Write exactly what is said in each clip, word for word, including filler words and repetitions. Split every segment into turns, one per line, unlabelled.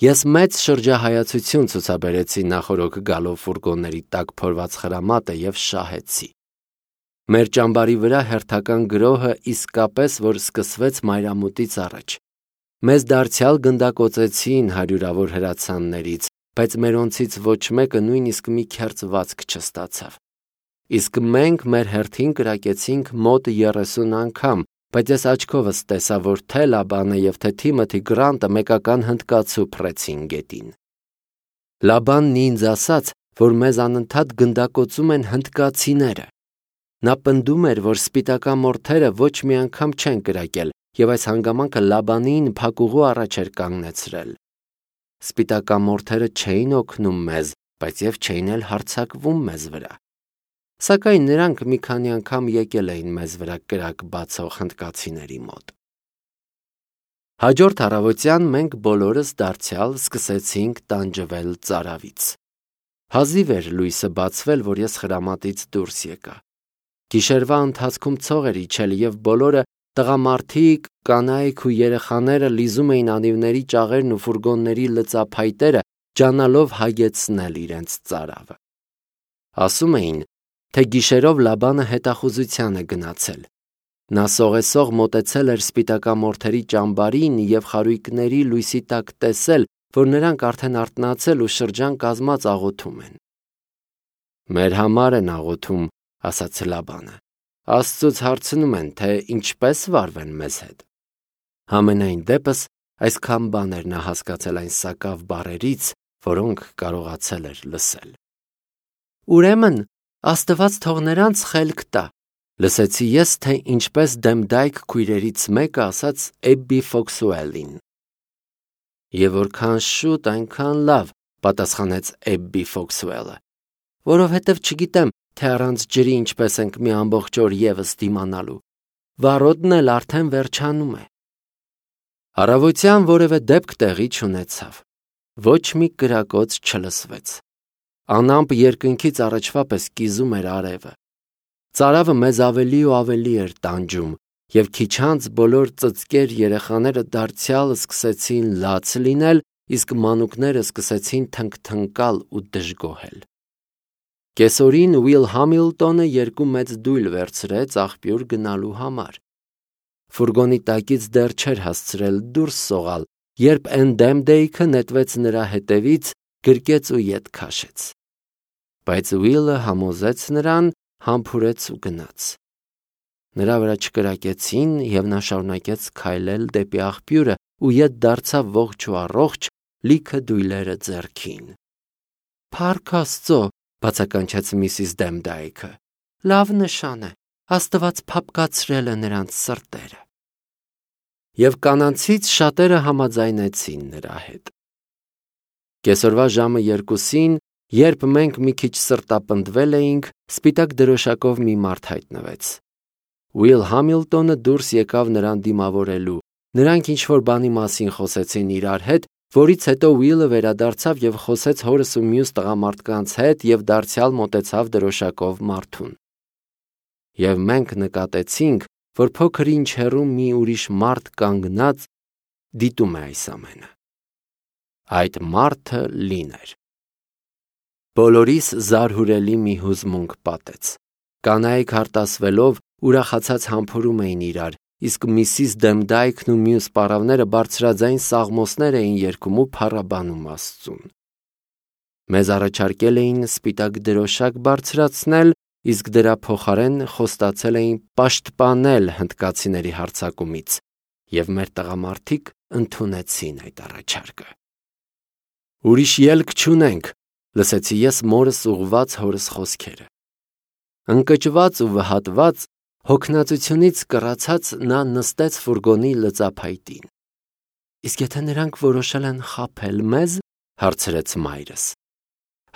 Ես մեծ շրջահայացություն ցուցաբերեցի նախորոք գալով ֆուրգոնների տակ փորված խրամատը եւ շահեցի։ Մեր ճամբարի վրա հերթական գրոհը իսկապես որ սկսվեց մայրամուտից առաջ։ Մեզ դարձյալ գնդակոծեցին հարյուրավոր հրացաններից, բայց մերոնցից ոչ մեկը նույնիսկ մի քերծ վազք չստացավ։ Իսկ մենք մեր հերթին կրակեցինք մոտ երեսուն անգամ, բայց ես աչքովս տեսա, որ թե Լաբանը եւ թե Թիմոթի Գրանտը մեկական հնդկացու փռեցին գետին։ Լաբանն ինձ ասաց, որ մեզ անընդհատ գնդակոծում են հնդկացիները։ Նա պնդում էր, որ սպիտակամորթերը ոչ մի անգամ չեն կրակել, եւ այս հանգամանքը Լաբանին փակուղու առաջ էր կանգնեցրել։ Սպիտակամորթերը չէին օգնում մեզ, բայց եւ չէին էլ հարձակվում մեզ վրա։ Սակայն նրանք մի քանի անգամ եկել էին մեզ վրա կրակ բացող հնդկացիների մոտ։ Հաջորդ առավոտյան մենք բոլորս դարձյալ սկսեցինք տանջվել ծարավից։ Հազիվ էր լույսը բացվել, որ ես խրամատից դուրս եկա։ Գիշերվա ընթացքում ցող էր իջել եւ բոլորը տղամարդիկ, կանայք ու երեխաները լիզում էին անիվների ճաղերն ու ֆուրգոնների լծափայտերը, ջանալով հագեցնել իրենց ծարավը։ Ասում էին, թե գիշերով Լաբանը հետախուզության է գնացել։ Նա սողեսող մոտեցել էր սպիտակամորթերի ճամբարին եւ խարույկների լույսի տակ տեսել, որ նրանք արդեն արթնացել ու շրջան կազմած աղոթում են։ Մեր համար են աղոթում, ասաց Լաբանը։ Աստծուց հարցնում են, թե ինչպես վարվեն մեզ հետ։ Համենայն դեպս այսքան բաներ նա հասկացել այն սակավ բառերից, որոնք կարողացել էր լսել։ Ուրեմն Աստված թող նրանց խելք տա, լսեցի ես, թե ինչպես Դեմդայք քույրերից մեկը ասաց Էբբի Ֆոքսուելին։ Եվ որքան շուտ, այնքան լավ, պատասխանեց Էբբի Ֆոքսուելը, որովհետև չգիտեմ, թե առանց ջրի ինչպես ենք մի ամբողջ օր եւս դիմանալու։ Վառոդն էլ արդեն վերջանում է։ Առավոտյան որևէ դեպք տեղի չունեցավ։ Ոչ մի կրակոց չլսվեց։ Անամպ երկնքից առաջվա պես կիզում էր արևը։ Ծարավը մեզ ավելի ու ավելի էր տանջում, եւ քիչ անց բոլոր ծծկեր երեխաները դարձյալ սկսեցին լաց լինել, իսկ մանուկները սկսեցին թնգթնկալ ու դժգոհել։ Կեսօրին Ուիլ Համիլտոնը երկու մեծ դույլ վերցրեց աղբյուր գնալու համար։ Ֆուրգոնի տակից դեռ չէր հասցրել դուրս սողալ, երբ Դեմդայքը նետվեց նրա հետևից, գրկեց ու ետ քաշեց։ Բայց Ուիլը համոզեց նրան, համբուրեց ու գնաց։ Նրա վրա չկրակեցին եւ նա շարունակեց քայլել դեպի աղբյուրը ու ետ դարձավ ողջ ու առողջ, լիքը դույլերը ձեռքին։ Փառք Աստծո, բացականչեց միսիս Դեմդայքը։ Լավ նշան է, Աստված փափկացրել է նրանց սրտերը։ Եվ կանանցից շատերը համաձայնեցին նրա հետ։ Կեսօրվա ժամը երկուսին, երբ մենք մի քիչ սրտապնդվել էինք, սպիտակ դրոշակով մի մարդ հայտնվեց։ Ուիլ Համիլտոնը դուրս եկավ նրան դիմավորելու։ Նրանք ինչ-որ բանի մասին խոսեցին իրար հետ, որից հետո Ուիլը վերադարձավ եւ խոսեց հորս ու մյուս տղամարդկանց հետ եւ դարձյալ մոտեցավ դրոշակով մարդուն։ Եվ մենք նկատեցինք, որ փոքր ինչ հեռու մի ուրիշ մարդ կանգնած դիտում է այս ամենը։ Այդ մարդը Լին էր։ Բոլորիս զարհուրելի մի հուզմունք պատեց։ Կանայք հարտասվելով ուրախացած համբուրում էին իրար, իսկ միսիս Դեմդայքն ու մյուս պարավները բարձրաձայն սաղմոսներ էին երգում ու փառաբանում Աստծուն։ Մեզ առաջարկել էին սպիտակ դրոշակ բարձրացնել, իսկ դրա փոխարեն խոստացել էին պաշտպանել հնդկացիների հարձակումից, եւ մեր տղամարդիկ ընդունեցին այդ առաջարկը։ Ուրիշ ելք չունենք, լսեցի ես մորս ուղված հորս խոսքերը։ Ընկճված ու վհատված, հոգնածությունից կռացած նա նստեց ֆուրգոնի լծափայտին։ Իսկ եթե նրանք որոշել են խաբել մեզ, հարցրեց մայրս։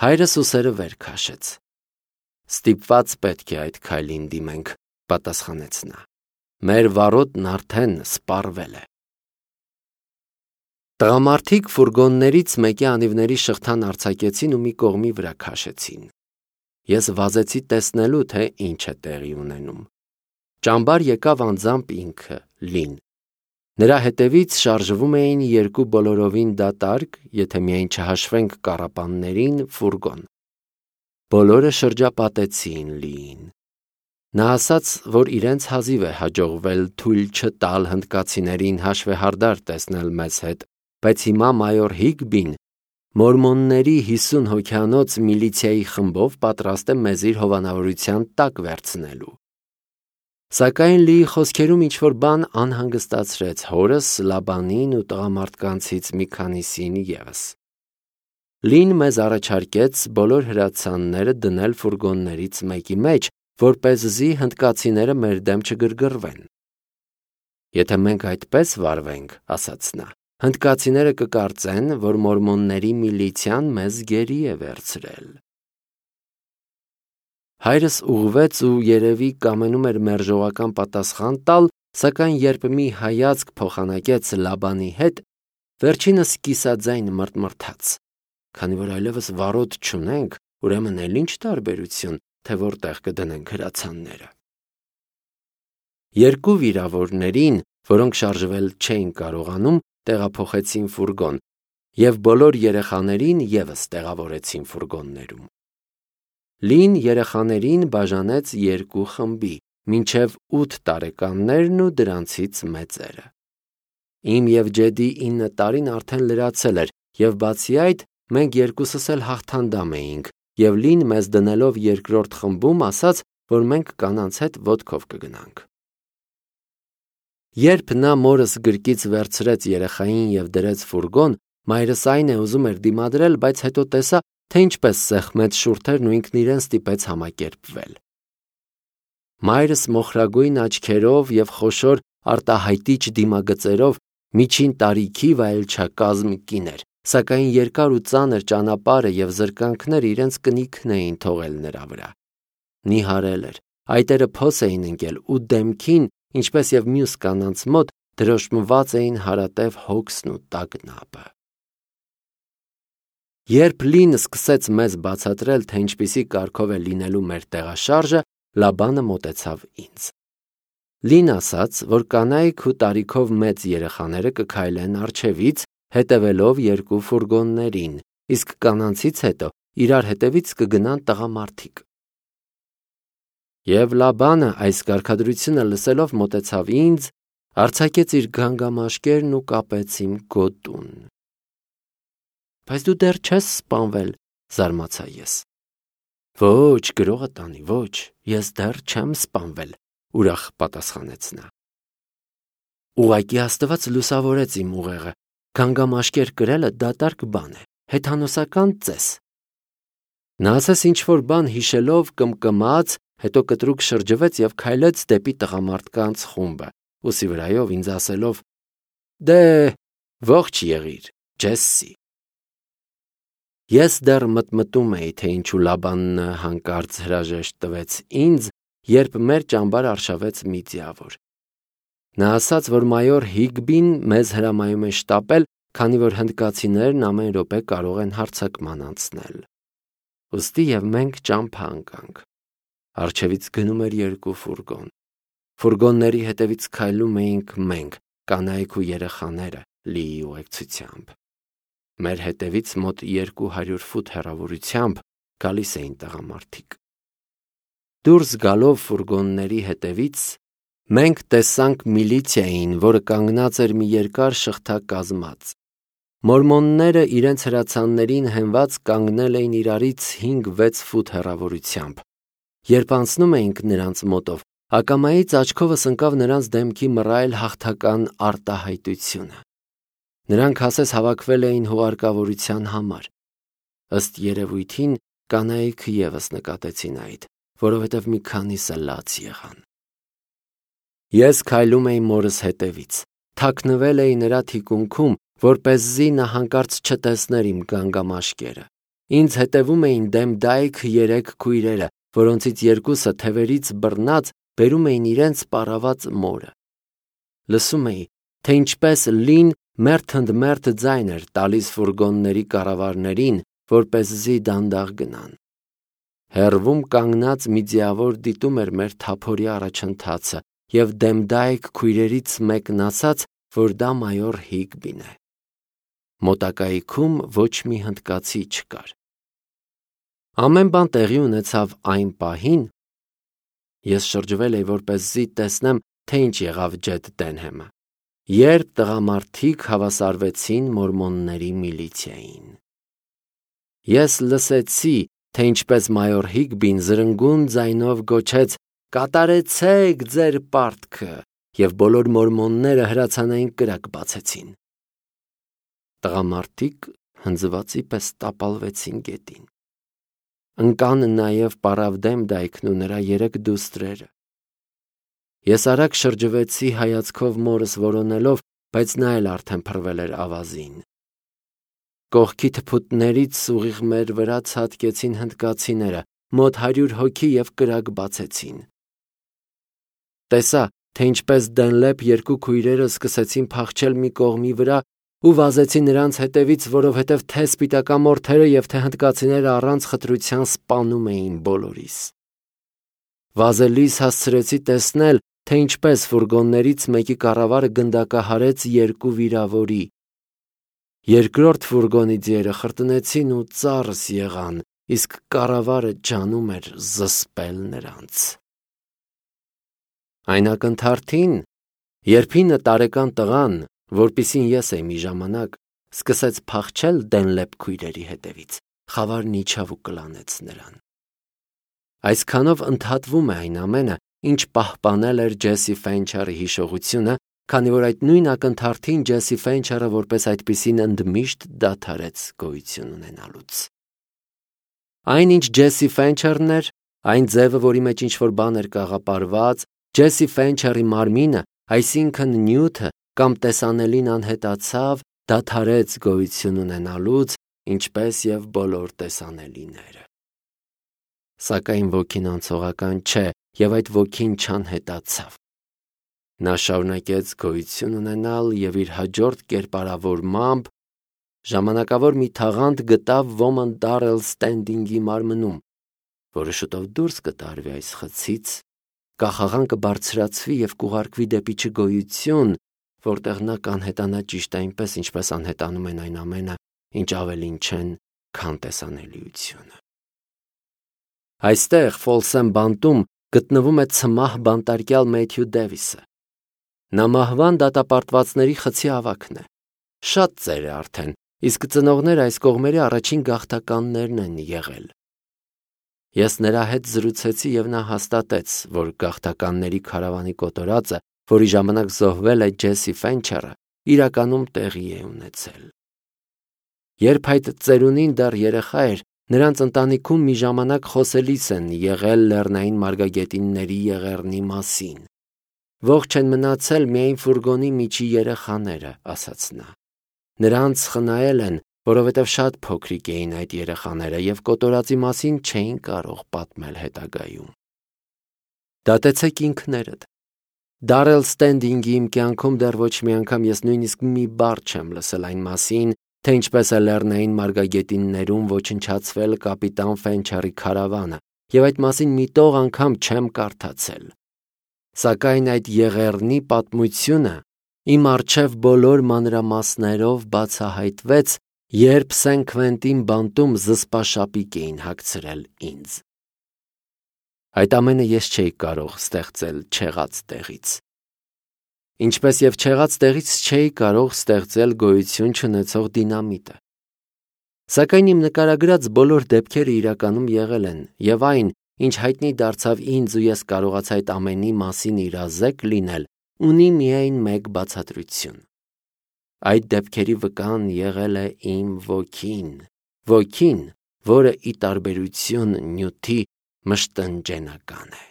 Հայրս ուսերը վեր քաշեց։ Ստիպված պետք է այդ քայլին դիմենք, պատասխանեց նա։ Մեր վառոդն արդեն սպառվել է։ Տղամարդիկ ֆուրգոններից մեկի անիվների շղթան արձակեցին ու մի կողմի վրա քաշեցին։ Ես վազեցի տեսնելու, թե ինչ է տեղի ունենում։ Ճամբար եկավ անձամբ ինքը, Լին։ Նրա հետևից շարժվում էին երկու բոլորովին դատարկ, եթե միայն չհաշվենք կառապաններին, ֆուրգոն։ Բոլորը շրջապատեցին Լիին։ Նա ասաց, որ իրենց հազիվ է հաջողվել թույլ չտալ հնդկացիներին հաշվեհարդար տեսնել մեզ հետ, բայց հիմա մայոր Հիգբին մորմոնների հիսուն հոգյանոց միլիցիայի խմբով պատրաստ է մեզ իր հովանավորության տակ վերցնելու։ Սակայն Լիի խոսքերում ինչ-որ բան անհանգստացրեց հորս, Լաբանին ու տղամարդկանցից մի քանիսին ևս։ Լին մեզ առաջարկեց բոլոր հրացանները դնել ֆուրգոններից մեկի մեջ, որպեսզի հնդկացիները մեր դեմ չգրգռվեն։ Եթե մենք այդպես վարվենք, ասաց նա, հնդկացիները կկարծեն, որ մորմոնների միլիցիան մեզ գերի է վերցրել։ Հայրս ուղղվեց ու երևի կամենում էր մերժողական պատասխան տալ, սակայն երբ մի հայացք փոխանակեց Լաբանի հետ, վերջինս կիսաձայն մռթմռթաց։ Քանի որ այլևս վարոդ չունենք, ուրեմն էլ ինչ տարբերություն, թե որտեղ կդնենք հրացանները։ Երկու վիրավորներին, որոնք շարժվել չէին կարողանում, տեղափոխեցին ֆուրգոն, եւ բոլոր երեխաներին ևս տեղավորեցին ֆուրգոններում։ Լին երեխաներին բաժանեց երկու խմբի, մինչև ութ տարեկաններն ու դրանցից մեծերը։ Իմ և Ջեդի ինը տարին արդեն լրացել էր, և բացի այդ, մենք երկուսս էլ հաղթանդամ էինք, և Լին մեզ դնելով երկրորդ խմբում ասաց, որ մենք կանանց հետ ոտքով կգնանք։ Երբ նա մորս գրկից վերցրեց երեխային և դրեց ֆուրգոն, մայրս այն է ուզում էր դիմադրել, բայց հետո տեսա, թե ինչպես սեղմեց շուրթերն ու ինքն իրեն ստիպեց համակերպվել։ Մայրս մոխրագույն աչքերով և խոշոր արտահայտիչ դիմագծերով միջին տարիքի վայելչակազմ կին էր, սակայն երկար ու ծանր ճանապարհը և զրկանքները իրենց կնիքն էին թողել նրա վրա։ Նիհարել էր, այտերը փոս էին ընկել ու դեմքին, ինչպես և մյուս կանանց մոտ, դրոշմված էին հարատև հոգսն ու տագնապը։ Երբ Լին սկսեց մեզ բացատրել, թե ինչպիսի կարգով է լինելու մեր տեղաշարժը, Լաբանը մոտեցավ ինձ։ Լին ասաց, որ կանայք ու տարիքով մեծ երեխաները կքայլեն առջևից, հետևելով երկու ֆուրգոններին, իսկ կանանցից հետո իրար հետևից կգնան տղամարդիկ։ Եվ Լաբանը այս կարգադրությունը լսելով մոտեցավ ինձ, արձակեց իր գանգամաշկերն ու կապեց իմ գոտուն։ Բայց դու դեռ չես սպանվել, զարմացա ես։ Ոչ, գրողը տանի, ոչ, ես դեռ չեմ սպանվել, ուրախ պատասխանեց նա։ Ուղղակի Աստված լուսավորեց իմ ուղեղը, գանգամաշկեր կրելը դատարկ բան է, հեթանոսական ծես։ Նա ասես ինչ-որ բան հիշելով կմկմաց, հետո կտրուկ շրջվեց և քայլեց դեպի տղամարդկանց խումբը, ուսի վրայով ինձ ասելով. Դե, ողջ եղիր, Ջեսսի։ Ես դեռ մտմտում էի, թե ինչու Լաբանն հանկարծ հրաժեշտ տվեց ինձ, երբ մեր ճամբար արշավեց մի ձիավոր։ Նա ասաց, որ մայոր Հիգբին մեզ հրամայում է շտապել, քանի որ հնդկացիներն ամեն րոպե կարող են հարձակման անցնել։ Ուստի և մենք ճամփա ընկանք։ Առջևից գնում էր երկու ֆուրգոն։ Ֆուրգոնների հետևից քայլում էինք մենք, կանայք ու երեխաները, Լիի ուղեկցությամբ։ Մեր հետևից մոտ երկու հարյուր ֆուտ հեռավորությամբ գալիս էին տղամարդիկ։ Դուրս գալով ֆուրգոնների հետևից մենք տեսանք միլիցիային, որը կանգնած էր մի երկար շղթա կազմած։ Մորմոնները իրենց հրացաններին հենված կանգնել էին իրարից հինգ-վեց ֆուտ հեռավորությամբ։ Երբ անցնում էինք նրանց մոտով, ակամայից աչքովս ընկավ նրանց դեմքի մռայլ հաղթական արտահայտությունը։ Նրանք ասես հավաքվել էին հուղարկավորության համար։ Ըստ երևույթին կանայք ևս նկատեցին այդ, որովհետև մի քանիսը լաց եղան։ Ես քայլում էի մորս հետևից, թաքնվել էի նրա թիկունքում, որպեսզի նա հանկարծ չտեսներ իմ գանգամաշկերը։ Ինձ հետևում էին դեմդայք երեք քույրերը, որոնցից երկուսը թևերից բռնած բերում էին իրենց պառաված մորը։ Լսում էի, թե ինչպես Լին մերթընդմերթ ձայն էր տալիս ֆուրգոնների կառավարներին, որպեսզի դանդաղ գնան։ Հեռվում կանգնած մի ձիավոր դիտում էր մեր թափորի առաջընթացը և դեմդայք քույրերից մեկն ասաց, որ դա մայոր Հիգբին է։ Մոտակայքում ոչ մի հնդկացի չկար։ Ամեն բան տեղի ունեցավ այն պահին, ես շրջվել էի որպեսզի տեսնեմ, թե ինչ եղավ Ջեդ Դենհեմը, երբ տղամարդիկ հավասարվեցին մորմոնների միլիցիային։ Ես լսեցի, թե ինչպես մայոր Հիգբին զրնգուն ձայնով գոչեց. «Կատարեցեք ձեր պարտքը», և բոլոր մորմոնները հրացանային կրակ բացեցին։ Տղամարդիկ հնձվածի պես տապալվեցին գետին։ Ընկան նաև Պարավդեմ դայքն ու նրա երեք դուստրերը։ Ես արագ շրջվեցի հայացքով մորս որոնելով, բայց նա էլ արդեն փռվել էր ավազին։ Կողքի թփուտներից ուղիղ մեր վրա ցատկեցին հնդկացիները, մոտ հարյուր հոգի և կրակ բացեցին։ Տեսա, թե ինչպես Դենլեփ երկու քույրերը սկսեցին փախչել մի կողմի վրա ու վազեցի նրանց հետևից, որովհետև թե սպիտակամորթերը և թե հնդկացիները առանց խտրության սպանում էին բոլորիս։ Վազելիս հասցրեցի տեսնել, թե ինչպես ֆուրգոններից մեկի կառավարը գնդակահարեց երկու վիրավորի։ Երկրորդ ֆուրգոնի ձիերը խրտնեցին ու ծառս եղան, իսկ կառավարը ջանում էր զսպել նրանց։ Այն ակնթարթին, երբ հինը տարեկան տղան, որպիսին ես էի մի ժամանակ, սկսեց փախչել Դենլեփ քույրերի հետևից, խավարն իջավ ու կլանեց նրան։ Այսքանով ընդհատվում է այն ամենը, ինչ պահպանել էր Ջեսի Ֆենչերի հիշողությունը, քանի որ այդ նույն ակնթարթին Ջեսի Ֆենչերը որպես այդպիսին ընդմիշտ դադարեց գոյություն ունենալուց։ Այն, ինչ Ջեսի Ֆենչերն էր, այն ձևը, որի մեջ ինչ-որ բան էր կաղապարված, Ջեսի Ֆենչերի մարմինը, այսինքն նյութը կամ տեսանելին անհետացավ, դադարեց գոյություն ունենալուց, ինչպես և բոլոր տեսանելիները։ Սակայն ոգին անցողական չէ, և այդ ոգին չանհետացավ։ Նա շարունակեց գոյություն ունենալ և իր հաջորդ կերպարավորմամբ ժամանակավոր մի թաղանթ գտավ ոմն Դարել Ստենդինգի մարմնում, որը շուտով դուրս կտարվի այս խցից, կախաղան կբարձրացվի և կուղարկվի դեպի չգոյություն, որտեղ նա կանհետանա ճիշտ այնպես, ինչպես անհետանում են այն ամենը, ինչ ավելին չեն, քան տեսանելիությունը։ Այստեղ Ֆոլսեմ բանտում գտնվում է ցմահ բանտարկյալ Մեթյու Դևիսը։ Նա մահվան դատապարտվածների խցի ավագն է։ Շատ ծեր է արդեն, իսկ ծնողները այս կողմերի առաջին գաղթականներն են եղել։ Ես նրա հետ զրուցեցի և նա հաստատեց, որ գաղթականների քարավանի կոտորածը, որի ժամանակ զոհվել է Ջեսի Ֆենչերը, իրականում տեղի է ունեցել։ Երբ այդ ծերունին դեռ երեխա էր, նրանց ընտանիքում մի ժամանակ խոսելիս են եղել լեռնային մարգագետինների եղեռնի մասին։ Ողջ են մնացել միայն ֆուրգոնի միջի երեխաները, ասաց նա։ Նրանց խնայել են, որովհետև շատ փոքրիկ էին այդ երեխաները և կոտորածի մասին չէին կարող պատմել հետագայում։ Դատեցեք ինքներդ։ Դարել Ստենդինգի իմ կյանքում դեռ ոչ մի անգամ ես նույնիսկ մի բառ չեմ լսել այն մասին, թե ինչպես է լեռնային մարգագետիններում ոչնչացվել կապիտան Ֆենչերի քարավանը, և այդ մասին մի տող անգամ չեմ կարդացել։ Սակայն այդ եղեռնի պատմությունը իմ առջև բոլոր մանրամասներով բացահայտվեց, երբ Սեն Քվենտին բանտում զսպաշապիկ էին հագցրել ինձ։ Այդ ամենը ես չէի կարող ստեղծել չեղած տեղից։ Ինչպես և չեղած տեղից չէի կարող ստեղծել գոյություն չունեցող դինամիտը։ Սակայն իմ նկարագրած բոլոր դեպքերը իրականում եղել են, և այն, ինչ հայտնի դարձավ ինձ ու ես կարողացա այդ ամենի մասին իրազեկ լինել, ունի միայն մեկ բացատրություն։ Այդ դեպքերի վկան եղել է իմ ոգին, ոգին, որը ի տարբերություն նյութի մշտնջենական է։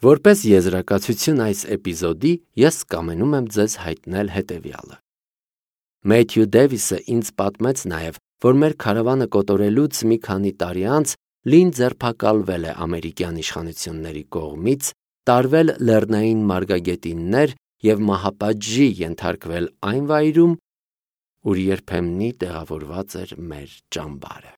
Որպես եզրակացություն այս էպիզոդի ես կամենում եմ ձեզ հայտնել հետևյալը։ Մեթյու Դևիսը ինձ պատմեց նաև, որ մեր քարավանը կոտորելուց մի քանի տարի անց Լին ձերբակալվել է ամերիկյան իշխանությունների կողմից, տարվել լեռնային մարգագետիններ և մահապատժի ենթարկվել այն վայրում, ուր երբեմնի տեղավորված էր մեր ճամբարը։